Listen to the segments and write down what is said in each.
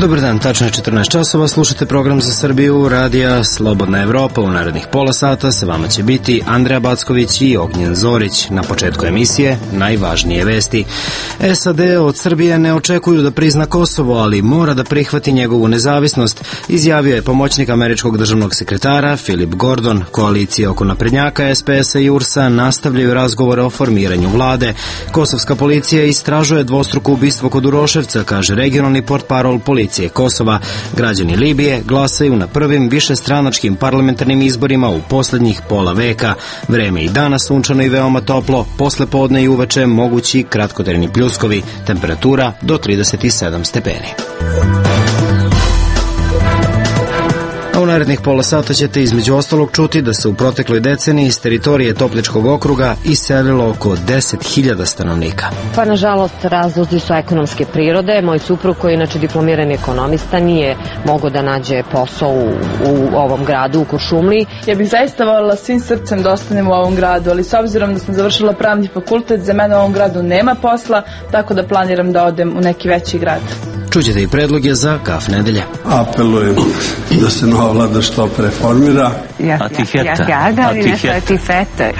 Dobar dan, tačno je 14 časova, slušate program za Srbiju, radija Slobodna Evropa. U narednih pola sata sa vama će biti Andreja Backović i Ognjen Zorić. Na početku emisije najvažnije vesti. SAD od Srbije ne očekuju da prizna Kosovo, ali mora da prihvati njegovu nezavisnost, izjavio je pomoćnik američkog državnog sekretara Philip Gordon. Koalicije oko naprednjaka, SPS-a i URS-a nastavljaju razgovore o formiranju vlade. Kosovska policija istražuje dvostruko ubistvo kod Uroševca, kaže regionalni portparol policije Kosova. Građani Libije glasaju na prvim višestranačkim parlamentarnim izborima u poslednjih pola veka. Vreme i danas sunčano i veoma toplo, posle podne i uveče mogući kratkotrajni pljuskovi, temperatura do 37 stepeni. A u narednih pola sata ćete između ostalog čuti da se u protekloj deceniji iz teritorije Topličkog okruga iselilo oko 10.000 stanovnika. Pa nažalost razlozi su ekonomske prirode. Moj suprug koji je inače diplomirani ekonomista nije mogao da nađe posao u ovom gradu, u Kuršumliji. Ja bih zaista voljela svim srcem da ostanem u ovom gradu, ali s obzirom da sam završila pravni fakultet, za mene u ovom gradu nema posla, tako da planiram da odem u neki veći grad. Čućete i predloge za Kaf nedelje. Apelujem da se nova vlada što preformira.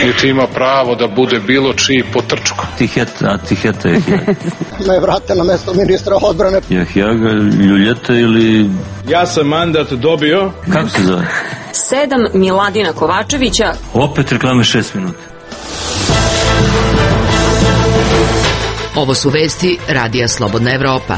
Niti ima pravo da bude bilo čiji potrčko. Tiheta. Me vrate na mesto ministra odbrane. Jahjaga, Ljuljeta ili... Ja sam mandat dobio. Kako se zove? 7 Miladina Kovačevića. Opet reklame 6 minuta. Ovo su vesti Radija Slobodna Evropa.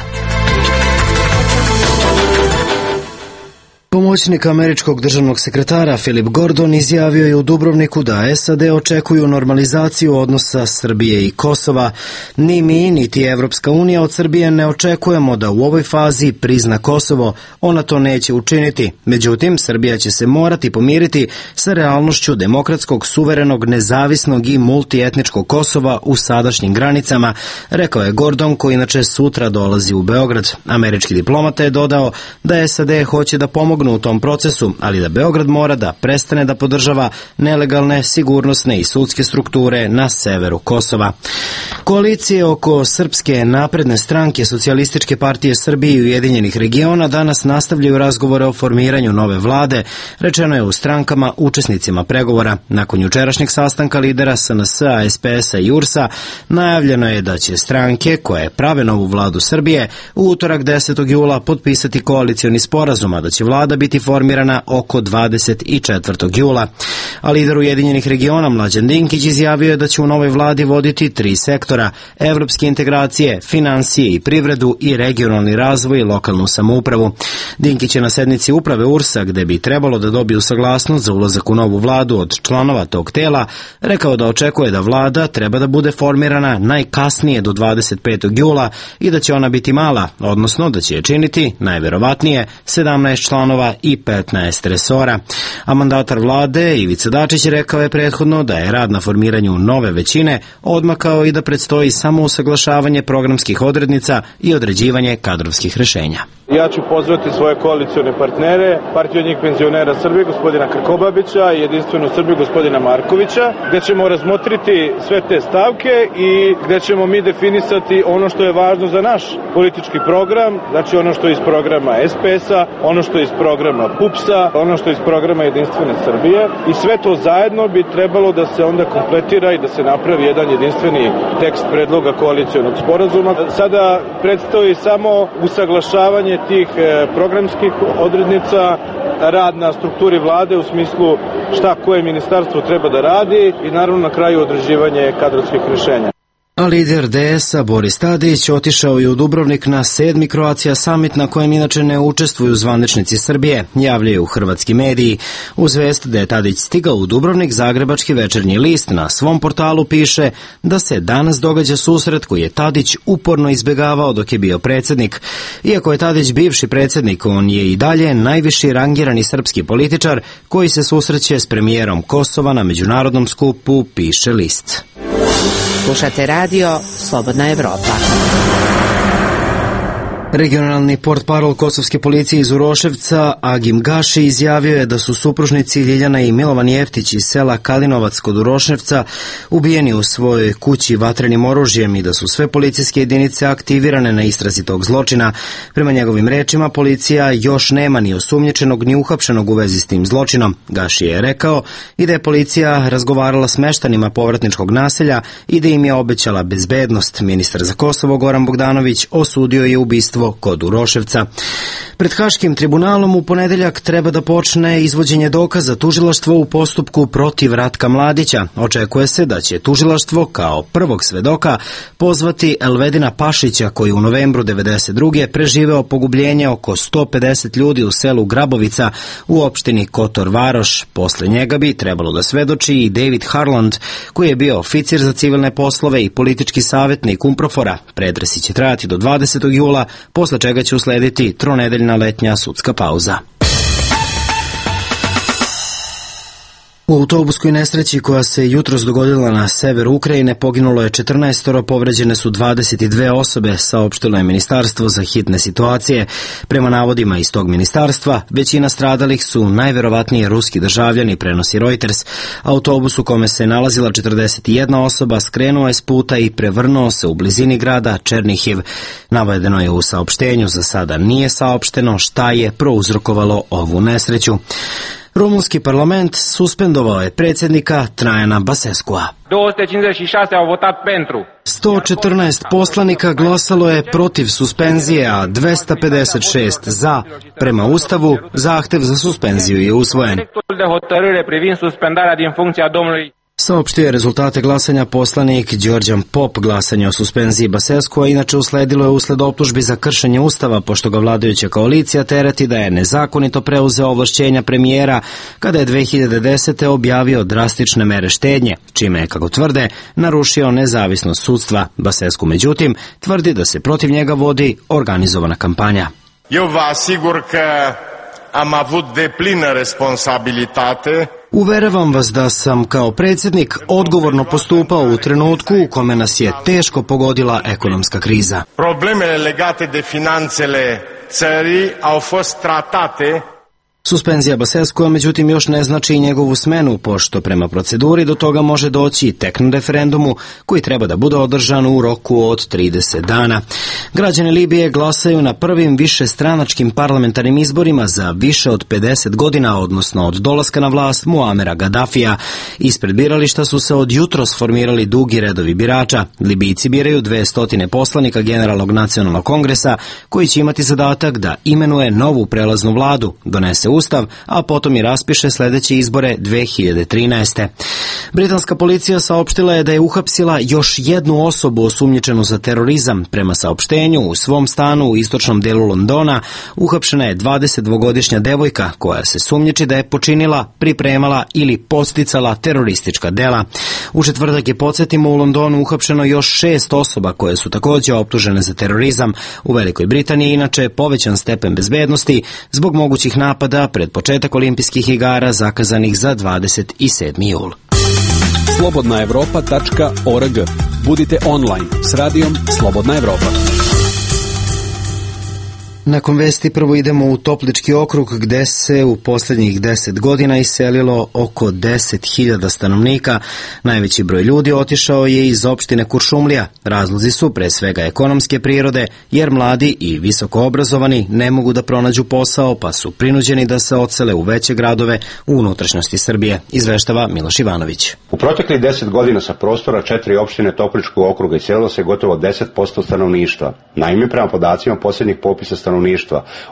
Pomoćnik američkog državnog sekretara Philip Gordon izjavio je u Dubrovniku da SAD očekuju normalizaciju odnosa Srbije i Kosova. Ni mi, niti Evropska unija od Srbije ne očekujemo da u ovoj fazi prizna Kosovo. Ona to neće učiniti. Međutim, Srbija će se morati pomiriti sa realnošću demokratskog, suverenog, nezavisnog i multietničkog Kosova u sadašnjim granicama, rekao je Gordon, koji inače sutra dolazi u Beograd. Američki diplomata je dodao da SAD hoće da pomognu u tom procesu, ali da Beograd mora da prestane da podržava nelegalne, sigurnosne i sudske strukture na severu Kosova. Koalicije oko Srpske napredne stranke, Socijalističke partije Srbije i Ujedinjenih regiona danas nastavljaju razgovore o formiranju nove vlade, rečeno je u strankama učesnicima pregovora. Nakon jučerašnjeg sastanka lidera SNS-a, SPS-a i URS-a najavljeno je da će stranke koje prave novu vladu Srbije u utorak 10. jula potpisati koalicioni sporazum, a da će vlada biti formirana oko 24. jula. A lider Ujedinjenih regiona Mlađan Dinkić izjavio je da će u novoj vladi voditi 3 sektora: evropske integracije, finansije i privredu i regionalni razvoj i lokalnu samoupravu. Dinkić je na sednici uprave URS-a, gde bi trebalo da dobiju saglasnost za ulazak u novu vladu od članova tog tela, rekao da očekuje da vlada treba da bude formirana najkasnije do 25. jula i da će ona biti mala, odnosno da će je činiti najverovatnije 17 članova i 15 resora. A mandatar vlade Ivica Dačić rekao je prethodno da je rad na formiranju nove većine odmakao i da predstoji samo usaglašavanje programskih odrednica i određivanje kadrovskih rešenja. Ja ću pozvati svoje koalicione partnere, Partiju njih penzionera Srbije, gospodina Krkobabića i Jedinstvenu Srbiju, gospodina Markovića, gde ćemo razmotriti sve te stavke i gde ćemo mi definisati ono što je važno za naš politički program, znači ono što je iz programa SPS-a, ono što je iz programa PUPS-a, ono što je iz programa Jedinstvene Srbije i sve to zajedno bi trebalo da se onda kompletira i da se napravi jedan jedinstveni tekst predloga koalicionog sporazuma. Sada predstoji samo usaglašavanje tih programskih odrednica, rad na strukturi vlade u smislu šta koje ministarstvo treba da radi i naravno na kraju određivanje kadrovskih rešenja. A lider DS-a Boris Tadić otišao je u Dubrovnik na 7. Croatia Summit, na kojem inače ne učestvuju zvaničnici Srbije, javljaju hrvatski mediji. Uz vest da je Tadić stigao u Dubrovnik, Zagrebački večernji list na svom portalu piše da se danas događa susret koji je Tadić uporno izbegavao dok je bio predsjednik. Iako je Tadić bivši predsjednik, on je i dalje najviši rangirani srpski političar koji se susreće s premijerom Kosova na međunarodnom skupu, piše list. Slušate radio Slobodna Evropa. Regionalni portparol kosovske policije iz Uroševca, Agim Gaši, izjavio je da su supružnici Ljiljana i Milovan Jeftić iz sela Kalinovac kod Uroševca ubijeni u svojoj kući vatrenim oružjem i da su sve policijske jedinice aktivirane na istrazi tog zločina. Prema njegovim rečima, policija još nema ni osumnjičenog ni uhapšenog u vezi s tim zločinom. Gaši je rekao i da je policija razgovarala s meštanima povratničkog naselja i da im je obećala bezbednost. Ministar za Kosovo Goran Bogdanović osudio je ubistvo kod Uroševca. Pred Haškim tribunalom u ponedeljak treba da počne izvođenje dokaza tužilaštva u postupku protiv Ratka Mladića. Očekuje se da će tužilaštvo kao prvog svedoka pozvati Elvedina Pašića, koji u novembru 1992. preživeo pogubljenje oko 150 ljudi u selu Grabovica u opštini Kotor Varoš. Posle njega bi trebalo da svedoči i David Harland, koji je bio oficir za civilne poslove i politički savjetnik UNPROFOR-a. Pretresi će trajati do 20. jula, posle čega će uslediti tronedeljna letnja sudska pauza. U autobuskoj nesreći koja se jutros dogodila na severu Ukrajine poginulo je 14, povređene su 22 osobe, saopštilo je Ministarstvo za hitne situacije. Prema navodima iz tog ministarstva, većina stradalih su najverovatnije ruski državljani, prenosi Reuters. Autobus u kome se nalazila 41 osoba skrenuo je s puta i prevrnuo se u blizini grada Černihiv. Navedeno je u saopštenju, za sada nije saopšteno šta je prouzrokovalo ovu nesreću. Rumunski parlament suspendovao je predsjednika Trajana Baseskua. 114 poslanika glasalo je protiv suspenzije, a 256 za. Prema Ustavu, zahtev za suspenziju je usvojen. Saopštio je rezultate glasanja poslanik Đorđan Pop. Glasanje o suspenziji Baseskua inače usledilo je usled optužbi za kršenje Ustava, pošto ga vladajuća koalicija tereti da je nezakonito preuzeo ovlašćenja premijera kada je 2010. objavio drastične mere štednje, čime je, kako tvrde, narušio nezavisnost sudstva. Basescu, međutim, tvrdi da se protiv njega vodi organizovana kampanja. Eu vă asigur că am avut deplină responsabilitate. Uveravam vas da sam kao predsjednik odgovorno postupao u trenutku u kome nas je teško pogodila ekonomska kriza. Problemele legate de finanțele țării au fost tratate. Suspenzija Baseskua, međutim, još ne znači i njegovu smenu, pošto prema proceduri do toga može doći tek na referendumu koji treba da bude održan u roku od 30 dana. Građani Libije glasaju na prvim višestranačkim parlamentarnim izborima za više od 50 godina, odnosno od dolaska na vlast Muamera Gaddafija. Ispred birališta su se od jutros formirali dugi redovi birača. Libijci biraju 200 poslanika Generalnog nacionalnog kongresa, koji će imati zadatak da imenuje novu prelaznu vladu, donese Ustav, a potom i raspiše sledeće izbore 2013. Britanska policija saopštila je da je uhapsila još jednu osobu osumnjičenu za terorizam. Prema saopštenju, u svom stanu u istočnom delu Londona uhapšena je 22-godišnja devojka koja se sumnjiči da je počinila, pripremala ili podsticala teroristička dela. U četvrtak je, podsjetimo, u Londonu uhapšeno još 6 osoba koje su takođe optužene za terorizam. U Velikoj Britaniji inače povećan stepen bezbednosti zbog mogućih napada pred početak olimpijskih igara zakazanih za 27. jul. slobodnaevropa.org. Budite online s radijom Slobodna Evropa. Nakon vesti prvo idemo u Toplički okrug, gde se u posljednjih 10 godina iselilo oko 10.000 stanovnika. Najveći broj ljudi otišao je iz opštine Kuršumlija. Razlozi su pre svega ekonomske prirode, jer mladi i visoko obrazovani ne mogu da pronađu posao, pa su prinuđeni da se odsele u veće gradove u unutrašnjosti Srbije, izveštava Miloš Ivanović. U proteklih 10 godina sa prostora 4 opštine Topličkog okruga iselilo se gotovo 10% stanovništva. Naime, prema podacima posljednjih popisa stanovništva,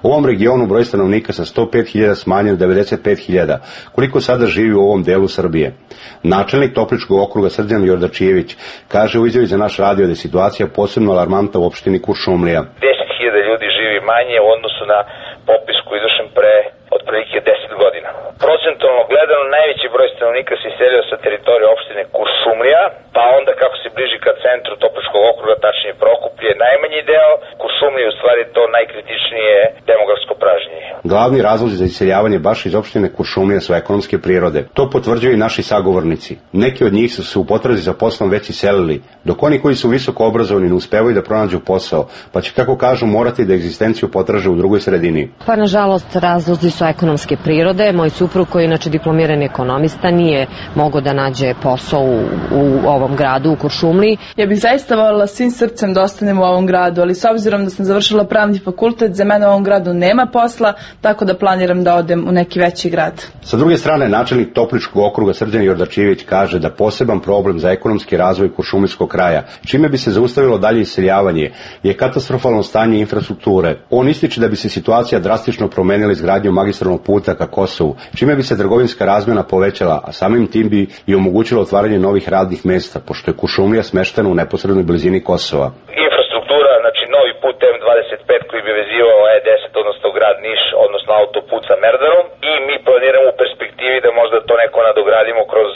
u ovom regionu broj stanovnika sa 105.000 smanjen 95.000, koliko sada živi u ovom delu Srbije. Načelnik Topličkog okruga Srđan Jordačijević kaže u izjavi za naš radio da je situacija posebno alarmantna u opštini Kuršumlija. 10.000 ljudi živi manje u odnosu na popis koji je izvršen pre otprilike 10 godina. procentualno gledano najveći broj stanovnika se iselio sa teritorije opštine Kuršumlija, pa onda kako se bliži ka centru Topličkog okruga, tačnije Prokuplje, najmanji deo. Kuršumlija je u stvari to najkritičnije demografsko pražnjenje. Glavni razlozi za iseljavanje baš iz opštine Kuršumlija su ekonomske prirode. To potvrđuju i naši sagovornici. Neki od njih su se u potrazi za poslom već iselili, dok oni koji su visoko obrazovani ne uspevaju da pronađu posao, pa će, kako kažu, morati da egzistenciju potraže u drugoj sredini. Pa nažalost razlozi su ekonomske prirode. Moj suprug koji je inače diplomirani ekonomista nije mogao da nađe posao u ovom gradu, u Kuršumliji. Ja bih zaista voljela svim srcem da ostanem u ovom gradu, ali s obzirom da sam završila pravni fakultet, za mene u ovom gradu nema posla, tako da planiram da odem u neki veći grad. Sa druge strane, načelnik Topličkog okruga Srđan Jordačivić kaže da poseban problem za ekonomski razvoj kuršumlijskog kraja, čime bi se zaustavilo dalje iseljavanje, je katastrofalno stanje infrastrukture. On ističe da bi se situacija drastično promenila izgradnjom magistralnog puta ka Kosovu, čime bi se trgovinska razmjena povećala, a samim tim bi i omogućilo otvaranje novih radnih mesta, pošto je Kuršumlija smeštena u neposrednoj blizini Kosova. Infrastruktura, znači novi put M25 koji bi vezivao E10, odnosno grad Niš, odnosno autoput sa Merdarom, i mi planiramo u perspektivi da možda to neko nadogradimo kroz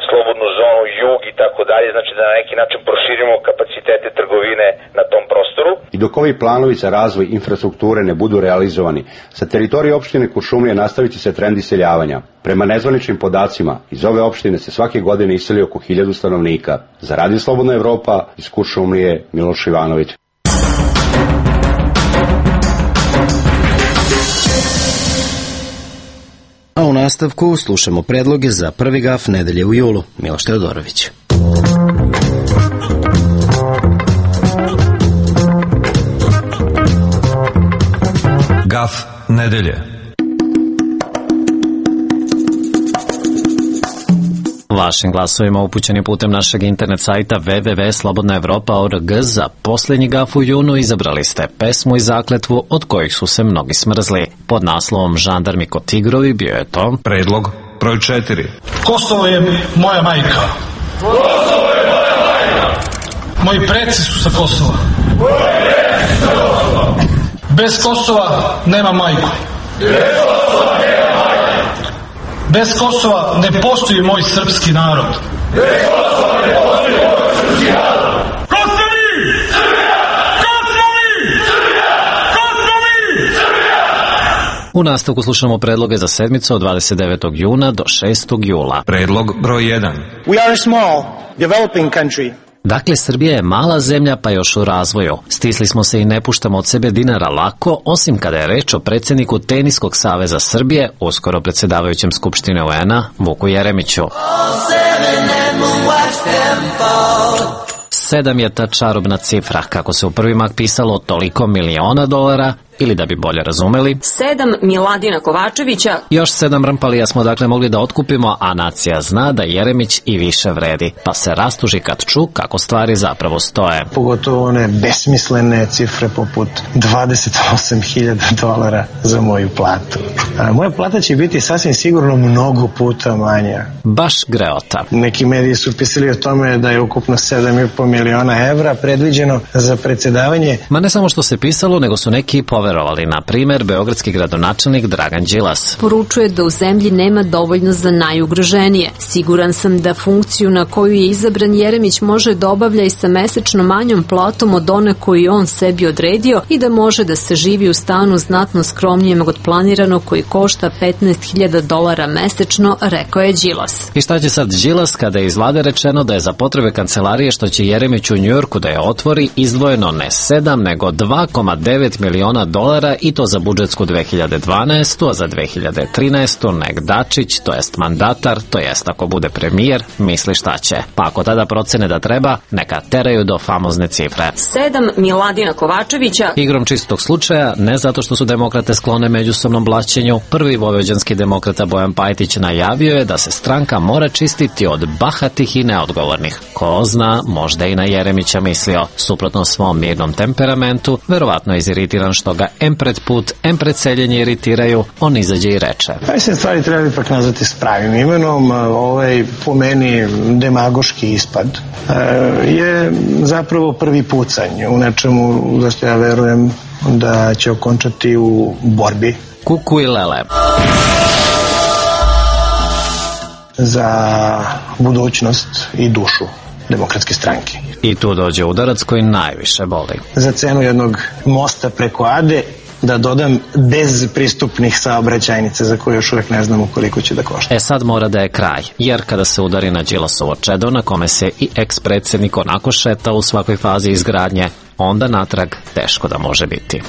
slobodnu zonu, jug i tako dalje, znači da na neki način proširimo kapacitete trgovine na tom prostoru. I dok ovi planovi za razvoj infrastrukture ne budu realizovani, sa teritorije opštine Kuršumlija nastavit će se trend iseljavanja. Prema nezvaničnim podacima, iz ove opštine se svake godine iseli oko 1000 stanovnika. Za Radio Slobodna Evropa, iz Kuršumlije, Miloš Ivanović. A u nastavku slušamo predloge za prvi gaf nedelje u julu. Miloš Teodorović. Gaf nedelje. Vašim glasovima upućeni putem našeg internet sajta www.slobodnaevropa.org za posljednji gaf u junu izabrali ste pesmu i zakletvu od kojih su se mnogi smrzli. Pod naslovom Žandarmi ko tigrovi bio je to predlog broj 4. Kosovo je moja majka. Kosovo je moja majka. Moji preci su sa Kosova. Bez Kosova nema majku. Bez Kosova ne postoji moj srpski narod. Bez Kosova ne postoji moj srpski narod. Kosovi! Srbija! Kosovi! Srbija! Kosovi! Srbija! U nastavku slušamo predloge za sedmicu od 29. juna do 6. jula. Predlog broj 1. We are a small, developing country. Dakle, Srbija je mala zemlja pa još u razvoju. Stisli smo se i ne puštamo od sebe dinara lako, osim kada je reč o predsjedniku Teniskog saveza Srbije, uskoro predsjedavajućem Skupštine UN-a, Vuku Jeremiću. 7 je ta čarobna cifra, kako se u prvi mah pisalo toliko miliona dolara, ili da bi bolje razumeli, 7 Miladina Kovačevića. Još 7 Rampalija smo dakle mogli da otkupimo, a nacija zna da Jeremić i više vredi, pa se rastuži kad ču kako stvari zapravo stoje. Pogotovo one besmislene cifre poput $28.000 za moju platu. Moja plata će biti sasvim sigurno mnogo puta manja. Baš greota. Neki mediji su pisali o tome da je ukupno 7,5 miliona evra predviđeno za predsjedavanje. Ma ne samo što se pisalo, nego su neki poverovali. Na primjer, beogradski gradonačelnik Dragan Đilas poručuje da u zemlji nema dovoljno za najugroženije. Siguran sam da funkciju na koju je izabran Jeremić može da obavlja i sa mesečno manjom platom od one koju on sebi odredio i da može da se živi u stanu znatno skromnijem od planiranog koji košta $15.000 mesečno, rekao je Đilas. I šta će sad Đilas kada je iz vlade rečeno da je za potrebe kancelarije što će Jeremić u Njujorku da je otvori izdvojeno ne 7 nego $2,9 miliona i to za budžetsku 2012. a za 2013. nek Dačić, to jest mandatar, to jest ako bude premijer, misli šta će. Pa ako tada procene da treba, neka teraju do famozne cifre. 7 Miladina Kovačevića. Igrom čistog slučaja, ne zato što su demokrate sklone međusobnom blaćenju, prvi vojvođanski demokrata Bojan Pajtić najavio je da se stranka mora čistiti od bahatih i neodgovornih. Ko zna, možda i na Jeremića mislio. Suprotno svom mirnom temperamentu, verovatno iziritiran što ga em pred put, em pred seljenje iritiraju, on izađe i reče. Mislim, stvari treba ipak nazvati s pravim imenom. Ovaj, po meni, demagoški ispad je zapravo prvi pucanj u nečemu za što ja verujem da će okončati u borbi. Kuku i lele. za budućnost i dušu Demokratske stranke. I tu dođe udarac koji najviše boli. Za cenu jednog mosta preko Ade, da dodam, bez pristupnih saobraćajnica za koje još uvijek ne znamo koliko će da košta. Sad mora da je kraj, jer kada se udari na Đilasovo čedo na kome se i eks-predsjednik onako šeta u svakoj fazi izgradnje, onda natrag teško da može biti.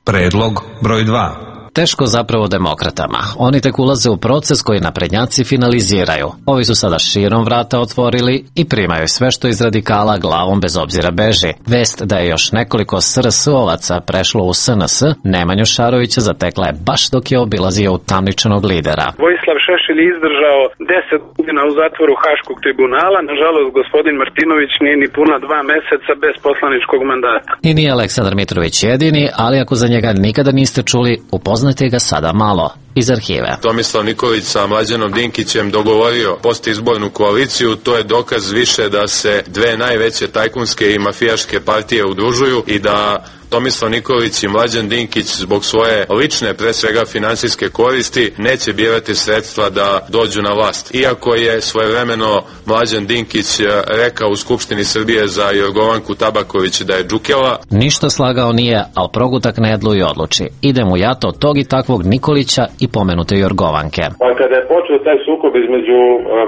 Predlog broj 2. Teško zapravo demokratama. Oni tek ulaze u proces koji naprednjaci finaliziraju. Ovi su sada širom vrata otvorili i primaju sve što iz radikala glavom bez obzira beži. Vest da je još nekoliko SRS-ovaca prešlo u SNS, Nemanju Šarovića zatekla je baš dok je obilazio utamničenog lidera. Vojislav Šešelj je izdržao 10 godina u zatvoru Haškog tribunala. Nažalost, gospodin Martinović nije ni puna 2 meseca bez poslaničkog mandata. I nije Aleksandar Mitrović jedini, ali ako za njega nikada niste čuli, upoznajte ga sada malo iz arhive. Tomislav Nikolić sa Mlađanom Dinkićem dogovorio postizbornu koaliciju, to je dokaz više da se dve najveće tajkunske i mafijaške partije udružuju i da Tomislav Nikolić i Mlađan Dinkić zbog svoje lične, pre svega finansijske koristi, neće birati sredstva da dođu na vlast. Iako je svojevremeno Mlađan Dinkić rekao u Skupštini Srbije za Jorgovanku Tabaković da je džukela. Ništa slagao nije, ali progutak ne dlu i odluči. Idem u jato od tog i takvog Nikolića i pomenute Jorgovanke. Pa kada je počeo taj sukob između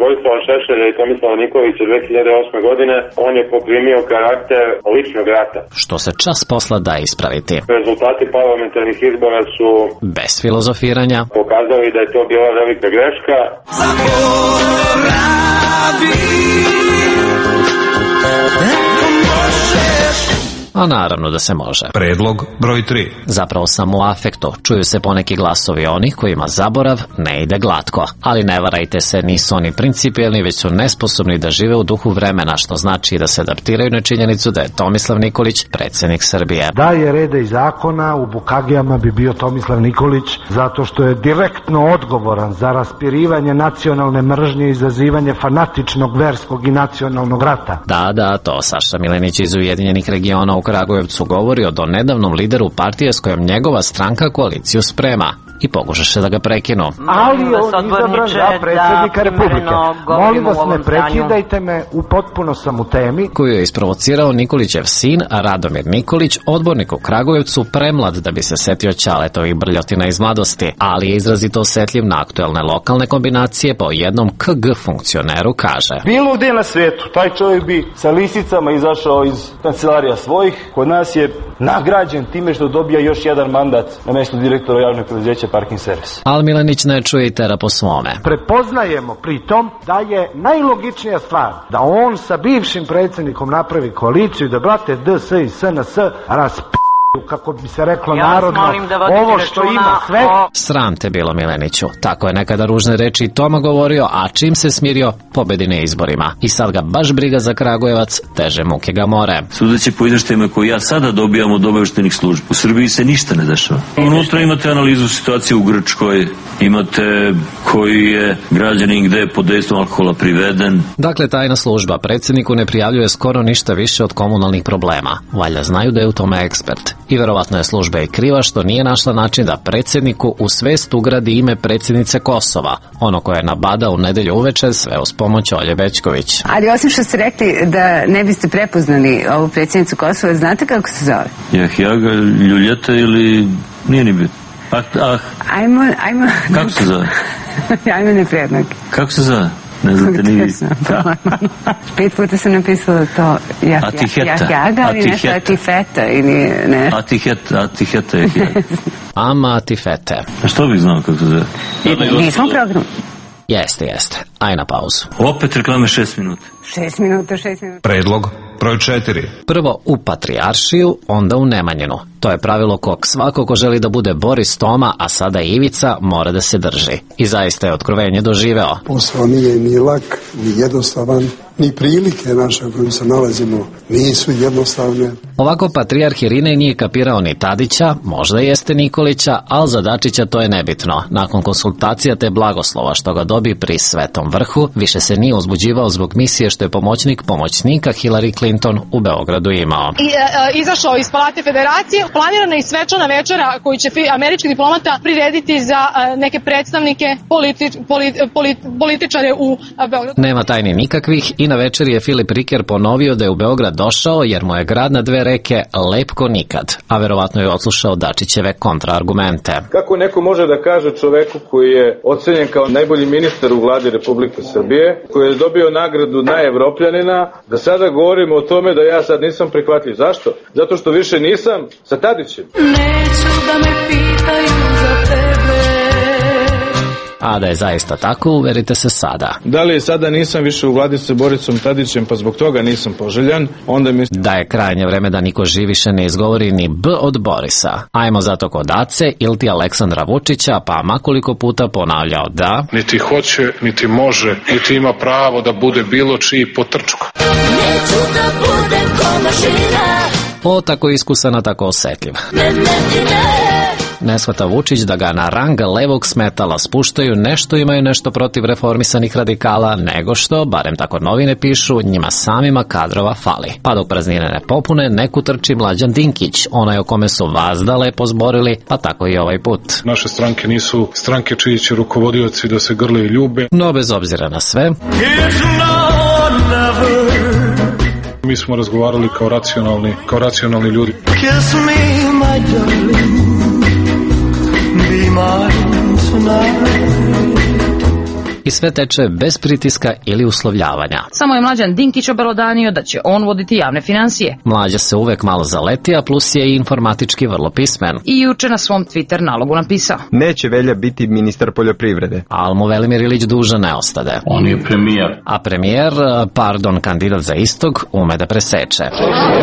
Vojislava Šešelja i Tomislava Nikolića 2008. godine, on je poprimio karakter ličnog rata. Što se čas posla da ispraviti. Rezultati parlamentarnih izbora su, bez filozofiranja, pokazali da je to bila velika greška. A naravno da se može. Predlog broj 3. Zapravo samo u afektu. Čuju se poneki glasovi onih kojima zaborav ne ide glatko. Ali ne varajte se, nisu oni principijelni, već su nesposobni da žive u duhu vremena, što znači da se adaptiraju na činjenicu da je Tomislav Nikolić predsjednik Srbije. Da je reda i zakona, u Bukagijama bi bio Tomislav Nikolić, zato što je direktno odgovoran za raspirivanje nacionalne mržnje i izazivanje fanatičnog verskog i nacionalnog rata. Da, to Saša Milenić iz Ujedinjenih regiona u Kragujevcu govori o donedavnom lideru partije s kojom njegova stranka koaliciju sprema i pokušaše da ga prekinu. Ali on izabran za predsjednika Republike. Molim vas, ne prekidajte me, u potpuno sam u temi. Koju je isprovocirao Nikolićev sin, Radomir Nikolić, odbornik u Kragujevcu, premlad da bi se setio Ćaletovih brljotina iz mladosti, ali je izrazito osjetljiv na aktuelne lokalne kombinacije, pa o jednom KG funkcioneru kaže: bilo gde na svetu, taj čovjek bi sa lisicama izašao iz kancelarija svojih, kod nas je nagrađen time što dobija još jedan mandat na mjestu direktora javnog preduzeća Parking Servis. Ali Milenić ne čuje i tera po svome. Prepoznajemo pritom da je najlogičnija stvar da on sa bivšim predsjednikom napravi koaliciju i da brate DS i SNS kako bi se reklo narodno, ovo što ima sve. Sram te bilo, Mileniću. Tako je nekada ružne reči i Toma govorio, a čim se smirio, pobedi na izborima. I sad ga baš briga za Kragujevac, teže muke ga more. Sudeći po izveštajima koji ja sada dobijam od obaveštajnih službi, u Srbiji se ništa ne dešava. Unutra imate analizu situacije u Grčkoj, imate koji je građanin gde je pod dejstvom alkohola priveden. Dakle, tajna služba predsjedniku ne prijavljuje skoro ništa više od komunalnih problema. Valjda znaju da je u tome ekspert. I verovatno je služba i kriva što nije našla način da predsjedniku u svest ugradi ime predsjednice Kosova, ono koje je nabadao u nedelju uveče, sve uz pomoć Olje Bećković. Ali osim što ste rekli da ne biste prepoznali ovu predsjednicu Kosova, znate kako se zove? Jahjaga Ljuljeta ili nije ni bitno? Ajmo. Kako se zove? Ajmo neprednog. Kako se zove? Ne znate ni vi. 5 puta sam napisala to Jahjaga, ali nešto Atifeta ili ne. Atiheta je Jahjaga. Ama Atifete. A što bih znao kako se zove? Nismo program. Jeste. Aj na pauzu. Opet reklame 6 minuta. 6 minuta. Predlog broj 4. Prvo u Patrijaršiju, onda u Nemanjinu. To je pravilo kog svako ko želi da bude Boris Toma, a sada Ivica, mora da se drži. I zaista je otkrovenje doživeo. Posao nije ni lak, ni jednostavan, ni prilike naše u kojim se nalazimo nisu jednostavne. Ovako patrijarh Irinej nije kapirao ni Tadića, možda jeste Nikolića, ali za Dačića to je nebitno. Nakon konsultacija te blagoslova što ga dobi pri Svetom vrhu, više se nije uzbuđivao zbog misije što je pomoćnika Hillary Clinton u Beogradu imao. Izašao iz Palate Federacije. planirana i svečana večera koju će američki diplomata prirediti za neke predstavnike političare u Beogradu. Nema tajni nikakvih i na večeri je Filip Riker ponovio da je u Beograd došao jer mu je grad na dve reke lep ko nikad, a verovatno je odslušao Dačićeve kontraargumente. Kako neko može da kaže čoveku koji je ocenjen kao najbolji ministar u vladi Republike Srbije, koji je dobio nagradu najevropljanina, da sada govorimo o tome da ja sad nisam prihvatljiv. Zašto? Zato što više nisam sa Tadićem. Neću da me pitaju za tebe. A da je zaista tako, uverite se sada. Da li sada nisam više u vladi sa Borisom Tadićem, pa zbog toga nisam poželjan, onda mi... Da je krajnje vreme da niko živ više ne izgovori ni B od Borisa. Ajmo zato kod Ace ili Aleksandra Vučića, pa makoliko puta ponavljao da... Niti hoće, niti može, niti ima pravo da bude bilo čiji potrčko. Neću da budem ko mašina. O, tako iskusan, a tako osetljiv. Ne shvata Vučić da ga na rang levog smetala spuštaju, nešto imaju nešto protiv reformisanih radikala, nego što, barem tako novine pišu, njima samima kadrova fali. Pa dok praznine ne popune, neku trči Mlađan Dinkić, onaj o kome su vazda lepo zborili, pa tako i ovaj put. Naše stranke nisu stranke čiji će rukovodioci da se grle i ljube. No, bez obzira na sve, mi smo razgovarali kao racionalni ljudi. Kiss me, my darling. Be mine tonight. I sve teče bez pritiska ili uslovljavanja. Samo je Mlađan Dinkić obelodanio da će on voditi javne finansije. Mlađa se uvek malo zaleti, a plus je i informatički vrlo pismen. I juče na svom Twitter nalogu napisao: neće Velja biti ministar poljoprivrede. Al mu Velimir Ilić dužan ne ostade. On je premijer. A premijer, kandidat za istog, ume da preseče.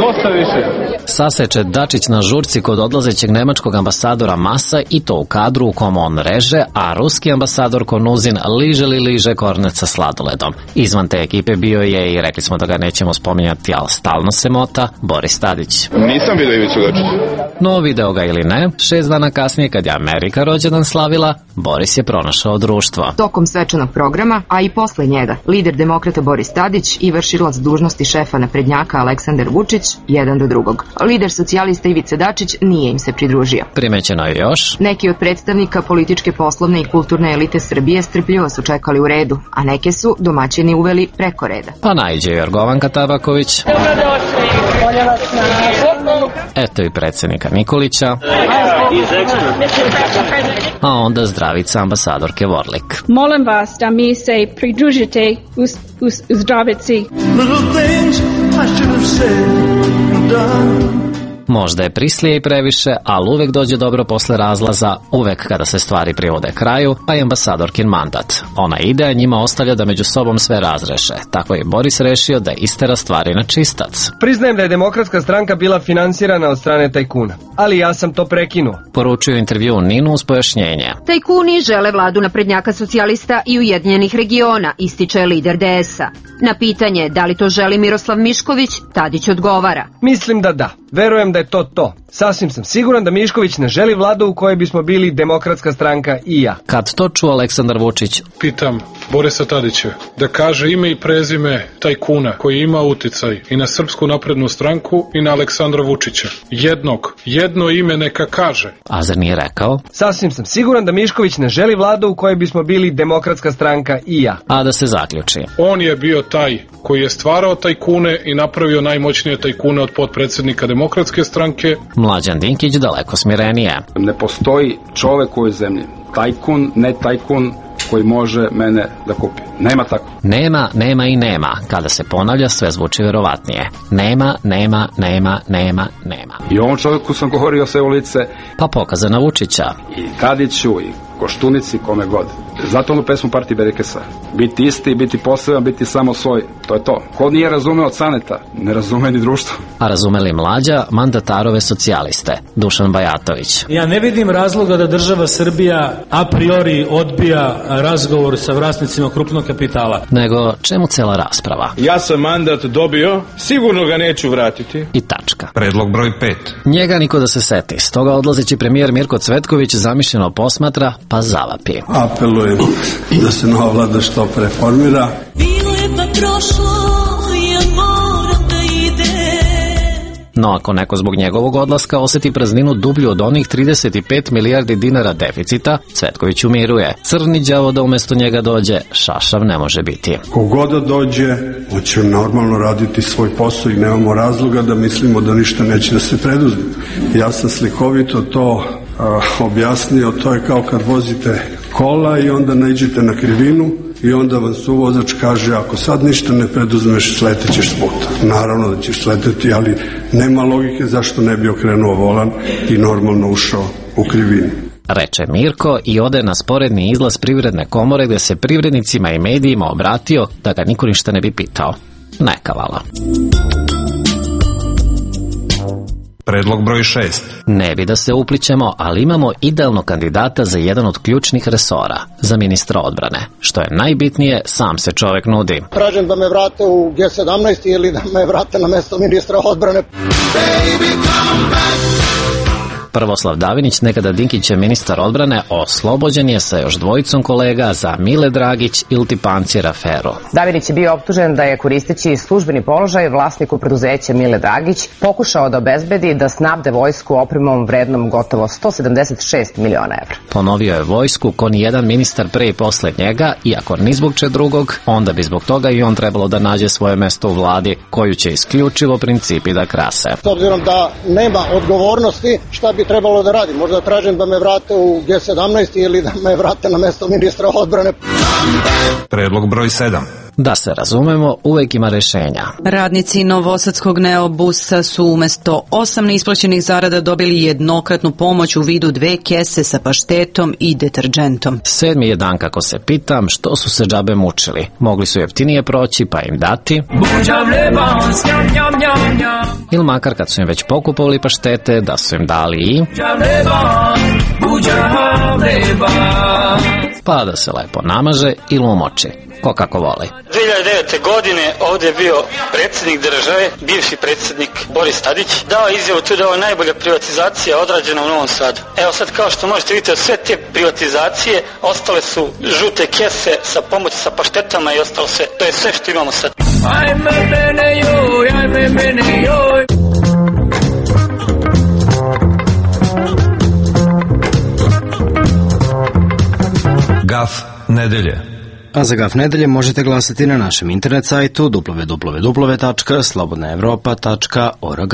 Dosta više. Saseče Dačić na žurci kod odlazećeg nemačkog ambasadora Masa i to u kadru u kom on reže, a ruski ambasador Konuzin liže kornet sa sladoledom. Izvan te ekipe bio je, i rekli smo da ga nećemo spominjati, ali stalno se mota, Boris Tadić. Nisam vidio Ivicu Dačića. No, video ga ili ne, 6 dana kasnije kad je Amerika rođendan slavila, Boris je pronašao društvo. Tokom svečanog programa, a i posle njega, lider demokrata Boris Tadić i vršilac dužnosti šefa naprednjaka Aleksandar Vučić, jedan do drugog. Lider socijalista Ivica Dačić nije im se pridružio. Primećeno je još. Neki od predstavnika političke, poslovne i kulturne elite Srbije strpljivo su čekali u redu, a neke su domaćini uveli preko reda. Pa najđe Jorgovanka Tabaković. Eto i predsjednika Nikolića. A onda zdravica ambasadorke Vorlik. Molim vas da mi se pridružite u zdravici. Možda je prislije i previše, ali uvek dođe dobro posle razlaza, uvek kada se stvari privode kraju, pa i ambasadorkin mandat. Ona ide, a njima ostavlja da među sobom sve razreše. Tako je Boris rešio da istera stvari na čistac. Priznajem da je Demokratska stranka bila finansirana od strane tajkuna, ali ja sam to prekinuo. Poručuju intervju Ninu uz pojašnjenje. Tajkuni žele vladu naprednjaka socijalista i Ujedinjenih regiona, ističe lider DS-a. Na pitanje da li to želi Miroslav Mišković, Tadić odgovara: mislim da da. Verujem da je to. Sasvim sam siguran da Mišković ne želi vladu u kojoj bismo bili Demokratska stranka i ja. Kad to čuo Aleksandar Vučić? Pitam Borisa Tadića da kaže ime i prezime tajkuna koji ima uticaj i na Srpsku naprednu stranku i na Aleksandra Vučića. Jedno ime neka kaže. A zar nije rekao? Sasvim sam siguran da Mišković ne želi vladu u kojoj bismo bili Demokratska stranka i ja. A da se zaključi. On je bio taj koji je stvarao tajkune i napravio najmoćnije tajkune od potpredsjednika Demokratske stranke. Mlađan Dinkić daleko smirenije. Ne postoji čovek u ovoj zemlji, tajkun, ne tajkun, koji može mene da kupi. Nema tako. Nema. Kada se ponavlja, sve zvuči verovatnije. Nema. I ovom čovjeku sam govorio sve u lice. Pa pokazana Vučića. I Tadiću, i Koštunici, kome god. Zato onu pesmu Partije Berekesa. Biti isti, biti poseban, biti samo svoj. To je to. Ko nije razumeo Caneta, ne razume ni društvo. A razumeli Mlađa, mandatarove socijaliste, Dušan Bajatović. Ja ne vidim razloga da država Srbija a priori odbija razgovor sa vlasnicima krupnog kapitala. Nego čemu cela rasprava? Ja sam mandat dobio, sigurno ga neću vratiti. I tačka. Predlog broj 5. Njega niko da se seti, stoga odlazeći premijer Mirko Cvetković zamišljeno posmatra, pa zavapi. Apelujem da se nova vlada što preformira. Bilo je pa prošlo, ja moram da idem. No ako neko zbog njegovog odlaska oseti prazninu dublju od onih 35 milijardi dinara deficita, Cvetković umiruje. Crni đavo da umjesto njega dođe, šašav ne može biti. Kogoda dođe, on će normalno raditi svoj posao i nemamo razloga da mislimo da ništa neće da se preduzme. Ja sam slikovito to objasnio, to je kao kad vozite kola i onda naiđete na krivinu i onda vam suvozač kaže ako sad ništa ne preduzmeš, sletećeš s puta. Naravno da ćeš sleteti, ali nema logike zašto ne bi okrenuo volan i normalno ušao u krivinu. Reče Mirko i ode na sporedni izlaz Privredne komore gde se privrednicima i medijima obratio da ga niko ništa ne bi pitao. Neka vala. Predlog broj 6. Ne bi da se uplićemo, ali imamo idealnog kandidata za jedan od ključnih resora, za ministra odbrane. Što je najbitnije, sam se čovek nudi. Tražim da me vrate u G17 ili da me vrate na mesto ministra odbrane. Prvoslav Davinić, nekada Dinkićev ministar odbrane, oslobođen je sa još dvojicom kolega za Mile Dragić iliti Pancir aferu. Davinić je bio optužen da je koristeći službeni položaj vlasniku preduzeća Mile Dragić pokušao da obezbedi da snabde vojsku opremom vrednom gotovo 176 miliona evra. Ponovio je vojsku ko ni jedan ministar pre i posle njega, i ako ni zbog če drugog, onda bi zbog toga i on trebalo da nađe svoje mesto u vladi, koju će isključivo principi da krase. S obzirom da nema odgovornosti, šta bi trebalo da radi? Možda tražim da me vrate u G17 ili da me vrate na mesto ministra odbrane. Predlog broj 7. Da se razumemo, uvek ima rešenja. Radnici novosadskog Neobusa su umesto 8 neisplaćenih zarada dobili jednokratnu pomoć u vidu 2 kese sa paštetom i deterđentom. 7. je dan kako se pitam što su se džabe mučili. Mogli su jeftinije proći pa im dati. Ili makar kad su im već pokupovali paštete, da su im dali i... pa da se lepo namaže ili umoči. Ko kako voli. 2009. godine ovdje je bio predsjednik države, bivši predsjednik Boris Tadić, dao izjavu tu da je najbolja privatizacija odrađena u Novom Sadu. Evo sad kao što možete vidjeti, sve te privatizacije ostale su žute kese sa pomoći sa paštetama i ostalo sve. To je sve što imamo sad. Ajme mene joj, ajme mene joj. Gaf nedelje. A za Gaf nedelje možete glasati na našem internet sajtu www.slobodnaevropa.org.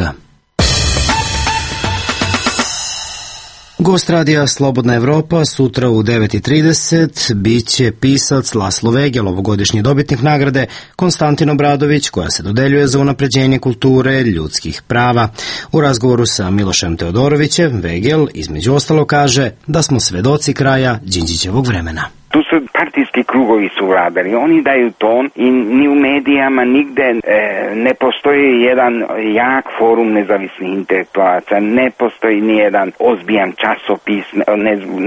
Gost radija Slobodna Evropa sutra u 9:30 biće pisac Laslo Vegel, ovogodišnji dobitnik nagrade Konstantin Obradović, koja se dodeljuje za unapređenje kulture ljudskih prava. U razgovoru sa Milošem Teodorovićem, Vegel između ostalo kaže da smo svedoci kraja Đinđićevog vremena. Tu su partijski krugovi su vladali, oni daju ton i ni u medijama nigde ne postoji jedan jak forum nezavisnih intelektualaca, ne postoji ni jedan ozbiljan časopis,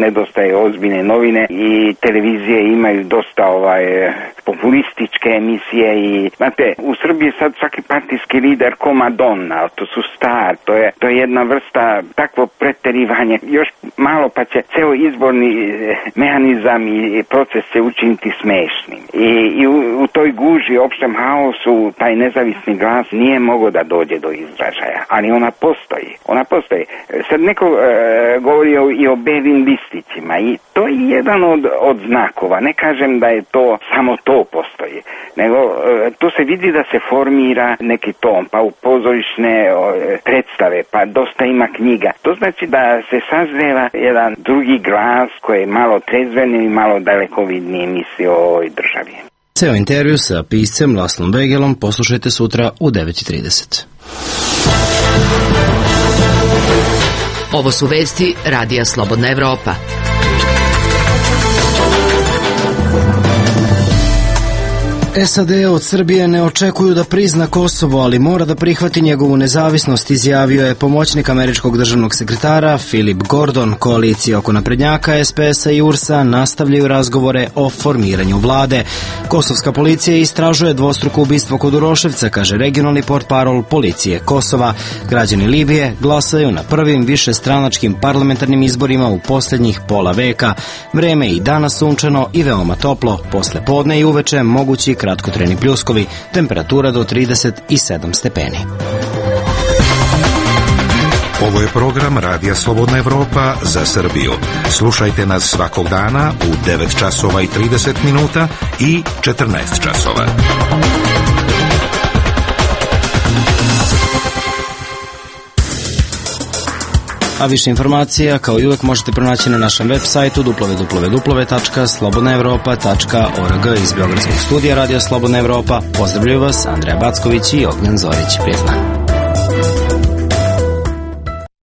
nedostaje ozbiljne novine i televizije imaju dosta populističke emisije i znate, u Srbiji sad svaki partijski lider ko Madonna, to su star, to je jedna vrsta takvo preterivanje, još malo pa će ceo izborni mehanizam i proces se učiniti smešnim. I u toj guži, opštem haosu, taj nezavisni glas nije mogao da dođe do izražaja, ali ona postoji. Ona postoji. Sad neko govori i o belim listićima i to je jedan od znakova. Ne kažem da je to samo to postoji, nego to se vidi da se formira neki ton, pa u pozorišne predstave, pa dosta ima knjiga. To znači da se sazreva jedan drugi glas koji je malo trezven i malo dalekovidnije misli o ovoj državi. Ceo intervju sa piscem Laslom Vegelom poslušajte sutra u 9:30. Ovo su vesti Radija Slobodna Evropa. SAD od Srbije ne očekuju da prizna Kosovo, ali mora da prihvati njegovu nezavisnost, izjavio je pomoćnik američkog državnog sekretara Philip Gordon. Koalicije oko naprednjaka, SPS-a i URS-a nastavljaju razgovore o formiranju vlade. Kosovska policija istražuje dvostruko ubistvo kod Uroševca, kaže regionalni portparol policije Kosova. Građani Libije glasaju na prvim višestranačkim parlamentarnim izborima u posljednjih pola veka. Vreme je i danas sunčano i veoma toplo. Posle podne i uveče mogući kratkotrajni pljuskovi, temperatura do 37 stepeni. Ovo je program Radija Slobodna Evropa za Srbiju. Slušajte nas svakog dana u 9 časova i 30 minuta i 14 časova. A više informacija, kao i uvek, možete pronaći na našem web sajtu www.slobodnaevropa.org. Iz Beogradskog studija Radija Slobodna Evropa pozdravljaju vas Andreja Backović i Ognjan Zorić. Prijetno.